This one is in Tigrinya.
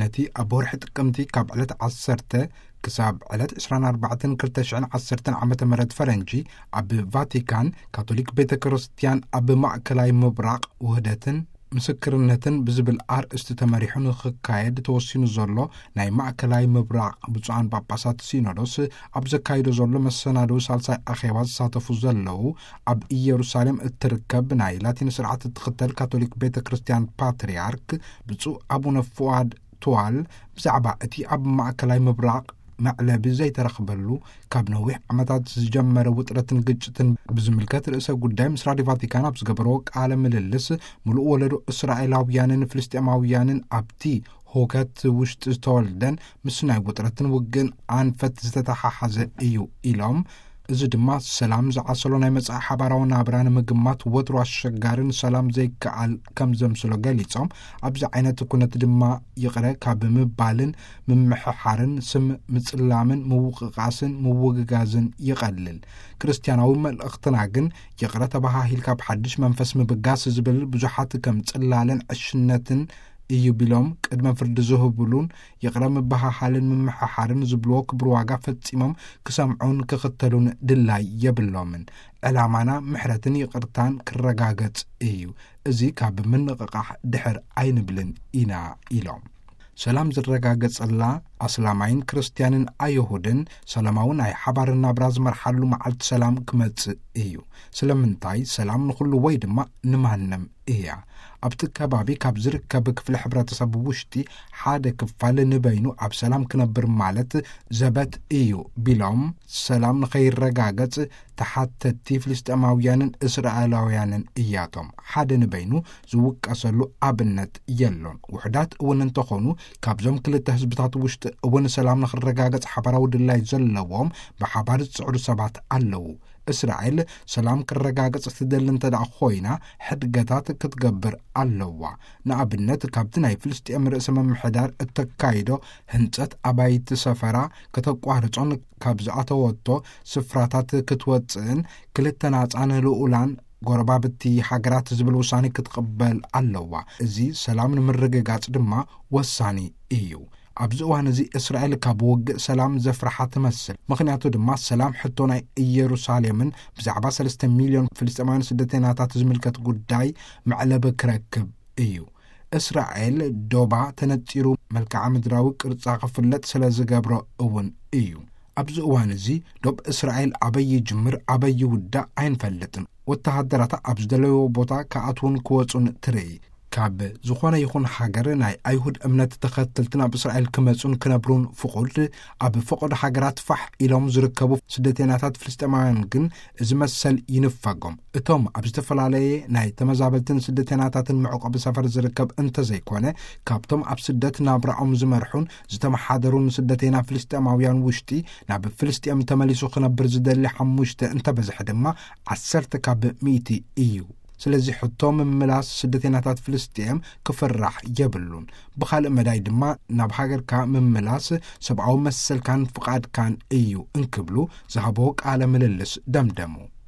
ነቲ ኣብ ወርሒ ጥቅምቲ ካብ ዕለት ዓሰርተ ክሳብ ዕለት ዕስራን ኣርባዕተን ክልተ ሽሕን ዓሰርተን ዓመተ ምህረት ፈረንጂ፣ ኣብ ቫቲካን ካቶሊክ ቤተ ክርስቲያን ኣብ ማእከላይ ምብራቕ ውህደትን ምስክርነትን ብዝብል ኣርእስቲ ተመሪሑ ንኽካየድ ተወሲኑ ዘሎ ናይ ማእከላይ ምብራቕ ብፁዓን ጳጳሳት ሲኖዶስ ኣብ ዘካይዶ ዘሎ መሰናድዊ ሳልሳይ ኣኼባ ዝሳተፉ ዘለዉ፣ ኣብ ኢየሩሳሌም እትርከብ ናይ ላቲን ስርዓት እትኽተል ካቶሊክ ቤተ ክርስቲያን ፓትርያርክ ብፁዕ ኣቡነ ፍዋድ ትዋል ብዛዕባ እቲ ኣብ ማእከላይ ምብራቕ መዕለቢ ዘይተረኽበሉ ካብ ነዊሕ ዓመታት ዝጀመረ ውጥረትን ግጭትን ብዝምልከት ርእሰ ጉዳይ ምስ ራድዮ ቫቲካን ኣብ ዝገበርዎ ቃለ ምልልስ፣ ምሉእ ወለዶ እስራኤላውያንን ፍልስጤማውያንን ኣብቲ ሁከት ውሽጢ ዝተወልደን ምስ ናይ ውጥረትን ውግእን ኣንፈት ዝተተሓሓዘ እዩ ኢሎም፣ እዚ ድማ ሰላም ዝዓሰሎ ናይ መጻኢ ሓባራዊ ናብራ ንምግማት ወትሩ ኣሸጋርን ሰላም ዘይከኣል ከም ዘምስሎ ገሊጾም፣ ኣብዚ ዓይነት ኩነት ድማ ይቕረ ካብ ምባልን ምምሕሓርን ስም ምጽላምን ምውቕቓስን ምውግጋዝን ይቐልል። ክርስትያናዊ መልእኽትና ግን ይቕረ ተባሃሂል ካብ ሓድሽ መንፈስ ምብጋስ ዝብል ብዙሓት ከም ጽላለን ዕሽነትን እዩ ቢሎም ቅድመ ፍርዲ ዝህብሉን ይቕረ ምበሃሃልን ምምሕሓርን ዝብልዎ ክብር ዋጋ ፈጺሞም ክሰምዑን ክኽተሉን ድላይ የብሎምን። ዕላማና ምሕረትን ይቕርታን ክረጋገጽ እዩ። እዚ ካብ ምንቕቓሕ ድሕር ኣይንብልን ኢና ኢሎም። ሰላም ዝረጋገጸላ ኣስላማይን ክርስትያንን ኣይሁድን ሰላማዊ ናይ ሓባር ናብራ ዝመርሓሉ መዓልቲ ሰላም ክመጽእ እዩ። ስለምንታይ ሰላም ንኹሉ ወይ ድማ ንማንም እያ። ኣብቲ ከባቢ ካብ ዝርከብ ክፍሊ ሕብረተሰብ ውሽጢ ሓደ ክፋል ንበይኑ ኣብ ሰላም ክነብር ማለት ዘበት እዩ ቢሎም፣ ሰላም ንኸይረጋገጽ ተሓተቲ ፍልስጤማውያንን እስራኤላውያንን እያቶም። ሓደ ንበይኑ ዝውቀሰሉ ኣብነት የሎን። ውሑዳት እውን እንተኾኑ፣ ካብዞም ክልተ ህዝብታት ውሽጢ እውን ሰላም ንኽረጋገጽ ሓባራዊ ድላይ ዘለዎም ብሓባር ዝጽዕሩ ሰባት ኣለዉ። እስራኤል ሰላም ክረጋገጽ ትደሊ እንተ ደኣ ኮይና፣ ሕድገታት ክትገብር ኣለዋ። ንኣብነት፣ ካብቲ ናይ ፍልስጤም ርእሰ ምምሕዳር እተካይዶ ህንጸት ኣባይቲ ሰፈራ ከተቋርጾን ካብ ዝኣተወቶ ስፍራታት ክትወጽእን ክልተ ናጻን ልኡላን ጎረባብቲ ሃገራት ዝብል ውሳኔ ክትቕበል ኣለዋ። እዚ ሰላም ንምርግጋጽ ድማ ወሳኒ እዩ። ኣብዚ እዋን እዚ እስራኤል ካብ ውግእ ሰላም ዘፍርሓ ትመስል። ምኽንያቱ ድማ ሰላም ሕቶ ናይ ኢየሩሳሌምን ብዛዕባ ሰለስተ ሚልዮን ፍልስጤማውያን ስደተኛታት ዝምልከት ጉዳይ መዕለቢ ክረክብ እዩ። እስራኤል ዶባ ተነጺሩ መልክዓ ምድራዊ ቅርጻ ክፍለጥ ስለ ዝገብሮ እውን እዩ። ኣብዚ እዋን እዚ ዶብ እስራኤል ኣበይ ይጅምር ኣበይ ይውዳእ ኣይንፈልጥን። ወተሃደራታ ኣብ ዝደለይዎ ቦታ ክኣትዉን ክወጹን ትርኢ። ካብ ዝኾነ ይኹን ሃገር ናይ ኣይሁድ እምነት ተኸተልቲ ናብ እስራኤል ክመጹን ክነብሩን ፍቑድ፣ ኣብ ፈቐዶ ሃገራት ፋሕ ኢሎም ዝርከቡ ስደተኛታት ፍልስጤማውያን ግን እዚ መሰል ይንፈጎም። እቶም ኣብ ዝተፈላለየ ናይ ተመዛበልትን ስደተኛታትን መዕቆቢ ሰፈር ዝርከብ እንተዘይኮነ፣ ካብቶም ኣብ ስደት ናብራኦም ዝመርሑን ዝተመሓደሩን ስደተና ፍልስጤማውያን ውሽጢ ናብ ፍልስጤም ተመሊሱ ክነብር ዝደሊ ሓሙሽተ እንተበዝሐ ድማ ዓሰርተ ካብ ሚእቲ እዩ። ስለዚ ሕቶ ምምላስ ስደተኛታት ፍልስጤም ክፍራሕ የብሉን። ብኻልእ መዳይ ድማ ናብ ሃገርካ ምምላስ ሰብኣዊ መሰልካን ፍቓድካን እዩ እንክብሉ ዝሃብዎ ቃለ ምልልስ ደምደሙ።